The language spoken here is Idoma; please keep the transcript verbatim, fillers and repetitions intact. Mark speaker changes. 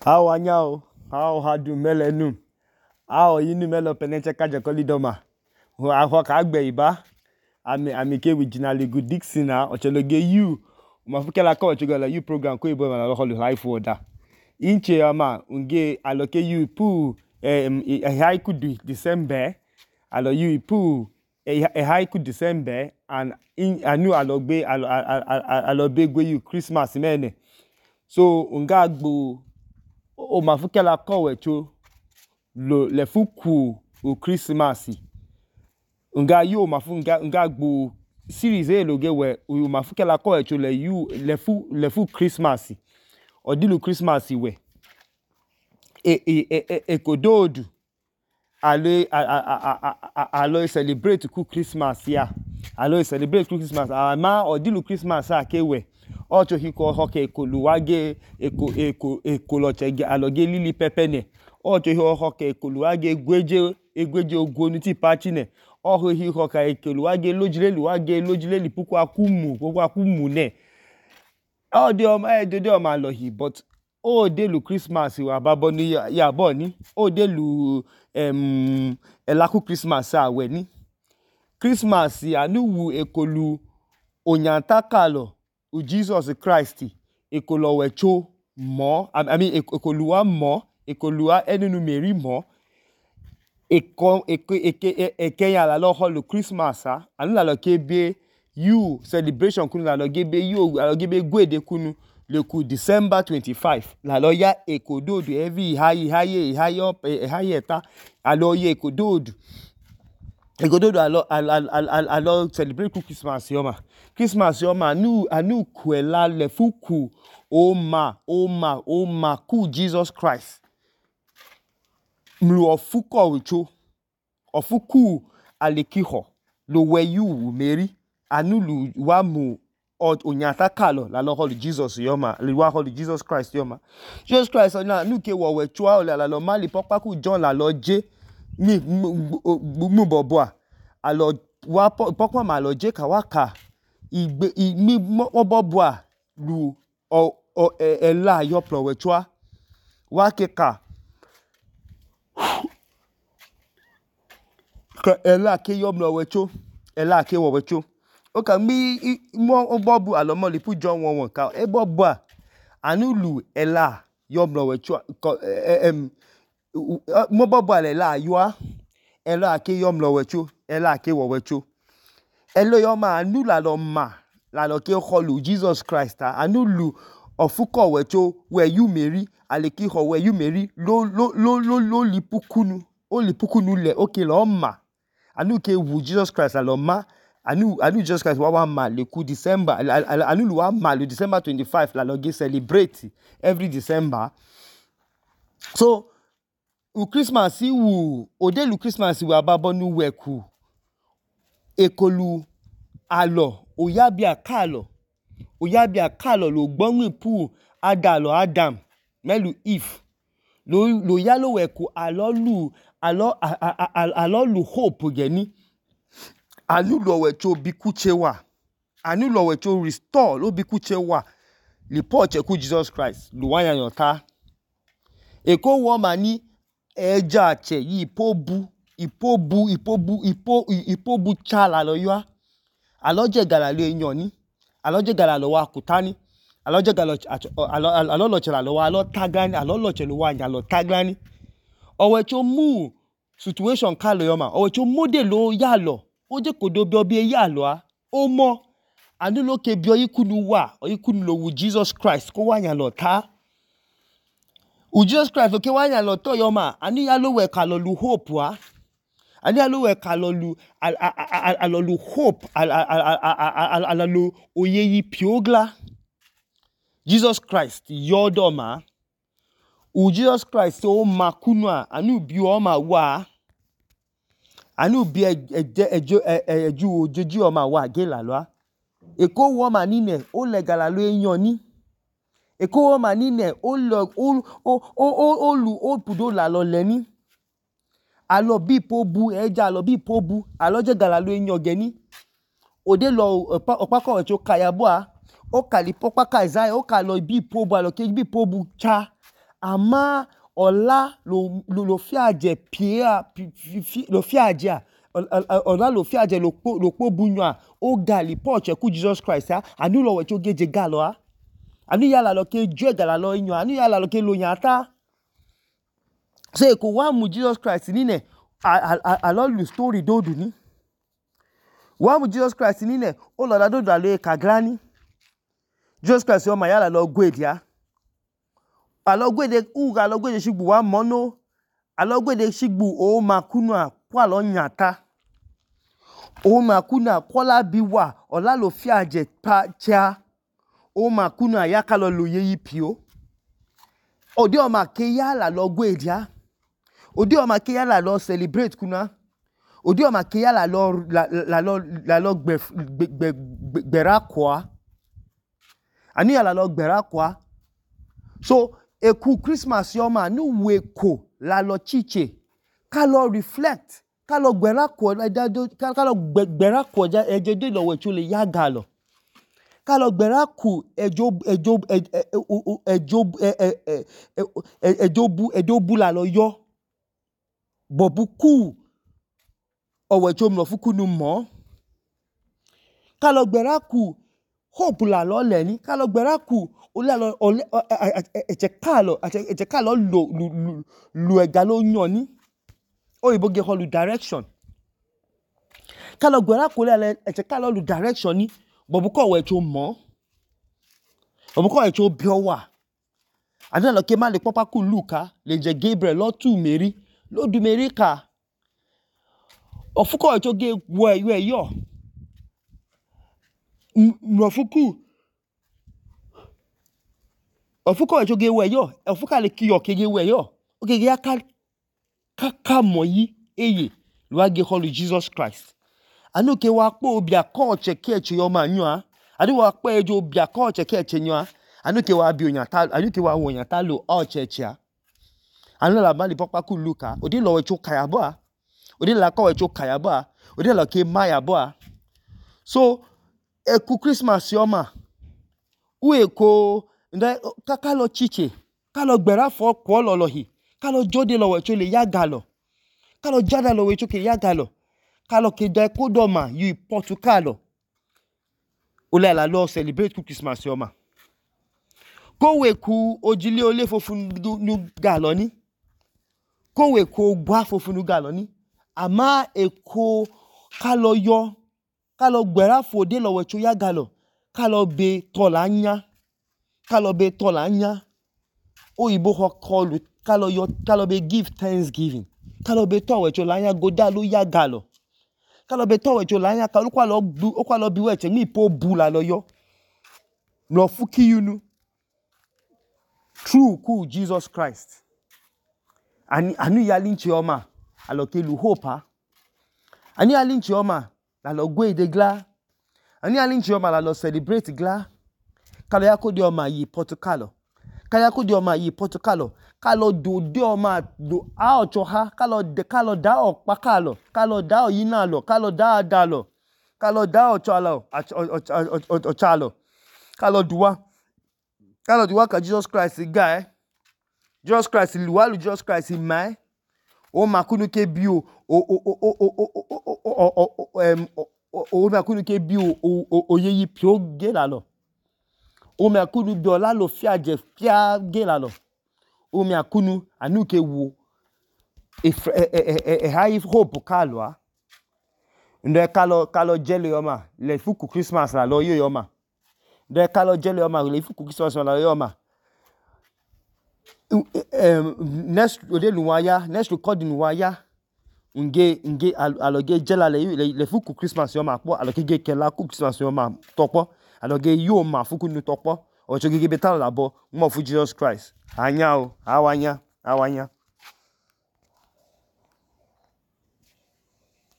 Speaker 1: How anyao? How hadu melenu? How yinu melo peneche kaja kolidoma? Ho ka agbe iba. Ami ami ke originally good Dixon na ocheloge you. Mafuke la ko chugala you program ko ibo na lo life order. Inche ama unge aloke you pu eh haiku December. Alo you pu eh haiku December and in anu alogbe alobe gwe you Christmas mene. So unga agbo o mafuke la ko wecho lo le fuku o Christmas. Unga you mafu nga nga agbo series e loge we o mafuke la ko wecho le you le fu le fu Christmas. Odilu Christmas we. E e e e kododu ale alo celebrate ku Christmas ya. Alo celebrate ku Christmas. Ama odilu Christmas a ke we. Ocho hiko hoke koluwage eko eko ekoloche aloge lili pepene. Ocho hiko hoke ekoluwage egweje egweje ogonu ti pachi ne. Oho hiko ka ekoluwage lojile luwage lojile lipuku akumu puku akumu ne. O de o eh de de o ma lohi but o de lu Christmas wa babo ni ya bo ni. O de lu em elaku Christmas a we ni. Christmas anu wu ekolu onyantakalo u Jesus Christ ekolo wecho mo I mean ekoluwa mo ekoluwa enunu Mary mo eko eke eke eke ya la lo holu Christmas a anu la lo kebe you celebration kunu la lo gebe you la lo gebe gwede kunu le ku December twenty-fifth la lo ya ekododu every high high high up high eta alo ye ekododu ekododu alo alo alo celebrate ku Christmas yoma Christmas yoma anu anu kwela le fuku o ma o ma o ma ku Jesus Christ mlu ofuko wicho ofuku alekiho lo we you Mary anu lu wa mu onyatakalo la lo holu Jesus yoma le wa holu Jesus Christ yoma Jesus Christ na nu ke wo we chua la lo mali popa ku John la lo je ni mu bobo a alo wa popa ma lo je ka wa ka igbe mi bobo a lu o o ela yo pro we chua wa ke ka ka ela ke yo mlo we cho ela ke wo we cho o ka mi mo bobu alo mo lipu John one one ka e bobo a anu lu ela yo mlo we cho em mo bobo ale la yo a ela ke yo mlo we cho ela ke wo we cho elo yo ma anu la lo ma la lo ke holu Jesus Christ anu lu ofuko we cho we you Mary ale ki ho we you Mary lo lo lo lo lo lipukunu o lipukunu le okay lo ma anu ke wu Jesus Christ la lo ma anu anu Jesus Christ wa wa ma le ku December anu lu wa ma le December twenty-fifth la lo ge celebrate every December so u Christmas wu o de lu Christmas wa babo nu we ku ekolu alo oyabia kalo oyabia kalo lo gbonwi pu adalo Adam melu Eve lo lo yalo we ku alo lu alo alo lu hope geni anu lo we cho bikuche wa anu lo we cho restore lo bikuche wa li poche ku Jesus Christ lu wanya yota eko wo mani eja che yi pobu ipobu ipobu ipo ipobu chala lo yo alo je gala le yan ni alo je gala lo wa kutani alo je gala alo alo lo chala lo wa alo tagani alo lo che lo wa nya lo tagani owe cho mu situation ka lo yo ma owe cho model lo ya lo o je kodo bi obi ya lo a o mo anu lo ke bi oyikunu wa oyikunu lo wu Jesus Christ ko wa nya lo ta u Jesus Christ ke wa nya lo to yo ma anu ya lo we ka lo lu hope wa ani alo we ka lo lu alo lu hope alo lu oyeyi piogla Jesus Christ yodoma u Jesus Christ o makunu a anu bi o ma wa anu bi ejo eju ojeji o ma wa ge la lo eko wo ma ni ne o le gala lo eyan ni eko wo ma ni ne o lo o o o lu o pudo la lo le ni alo bi pobu eja alo bi pobu alo je gala lo eyan geni ode lo opako we cho kaya bo a o kali popa ka Isaiah o ka lo bi pobu alo ke bi pobu cha ama ọla lo lo fiaje pia lo fiaje ọla lo fiaje lo kpo lo kpo bunyo o gali poche ku Jesus Christ a anu lo wecho geje galo a anu ya la lo ke ju gala lo inyo anu ya la lo ke lo nyata so e ko wa mu Jesus Christ ni ne a lo lu story dodu ni wa mu Jesus Christ ni ne o lo da dodu alo e kagrani Jesus Christ o ma ya la lo gwedia alo gwede u alo gwede shigbu wa mono alo gwede shigbu o makunu a kwa lo nyata o makunu a kola biwa ola lo fiaje pa cha o makunu a ya ka lo lo yeyi pio odi o ma ke ya la lo gwedia odi o ma ke ya la lo celebrate kuna odi o ma ke ya la lo la, la lo la lo gbe gbe gbera kwa ani ya la lo gbera kwa so eku Christmas yo ma nu weko la lo chiche ka lo reflect ka lo gbera kwa ka lo gbera kwa ja ejedo lo wecho le ya galo ka lo gbera ku ejo ejo ejo ejo bu ejo bu la lo yo bobu ku owecho mlo fuku nu mo ka lo gbera ku hope la lo le ni ka lo gbera ku ole lo ole eche kalo eche kalo lo lu lu ega lo yan ni oyibo ge holu direction ka lo gbera ku le eche kalo lu direction ni bobu ko wecho mo bobu ko wecho biowa adana lo ke ma le papa ku Luka le je Gabriel lo tu Mary lo du Mary ka ofuko wecho ge wo eyo eyo mrofuku ofuko wecho ge wo eyo ofuka le kiyo ke ge wo eyo oge ge aka kaka moyi eye lo age holu Jesus Christ anu ke wa po obi akoche keche yo ma nyu a anu wa po ejo obi akoche keche nyu a anu ke wa bi oyan ta anu ke wa wo oyan ta lo o cheche a anu la ma le papa ku Luka odi lo wecho kayabo a odi la ko wecho kayabo a odi lo ke maya bo a so eku Christmas yo ma u eko nda ka lo chiche ka lo gbera fo ko lo lo hi ka lo jode lo wecho le ya galo ka lo jada lo wecho ke ya galo ka lo ke da ko do ma yu Portugal o le la lo celebrate ku Christmas yo ma ko we ku ojile ole fofun nu galo ni ko we ku gwa fofun nu galo ni ama eko ka lo yo ka lo gbera fo de lo wecho ya galo ka lo be to la nya ka lo be to la nya oyibo ho call ka lo yo ka lo be give thanksgiving ka lo be to wecho la nya goda lo ya galo ka lo be to wecho la nya ka lo kwa lo bu o kwa lo bi weche mi po bu la lo yo lo fuki yunu true ku Jesus Christ ani anu ya linchi oma alo ke lu hope ha ani ya linchi oma la lo gwe de gla ani ya linchi oma la lo celebrate gla ka lo ya ko di oma yi Portugal ka ya ko di oma yi Portugal ka lo do de oma do a ocho ha ka lo de ka lo da o pa ka lo ka lo da o yi na lo ka lo da da lo ka lo da ocho lo ocho lo ka lo duwa ka lo duwa ka Jesus Christ ga eh Jesus Christ luwa lu Jesus Christ mai o makunu ke bi o o o o o em o makunu ke bi o o yeyi pio ge la lo o makunu bi ola lo fiaje fia ge la lo o makunu anu ke wo e e high hope ka lo a ndo ka lo ka lo jele yo ma le fuku Christmas la lo yo yo ma ndo ka lo jele yo ma le fuku Christmas la yo ma um next ode luwaya next recording waya nge nge aloge jela le le fuku Christmas yo ma po aloge ge kela ku Christmas yo ma topo aloge yo ma fuku nu topo o choge ge beta la bo mo fu Jesus Christ anya o awanya awanya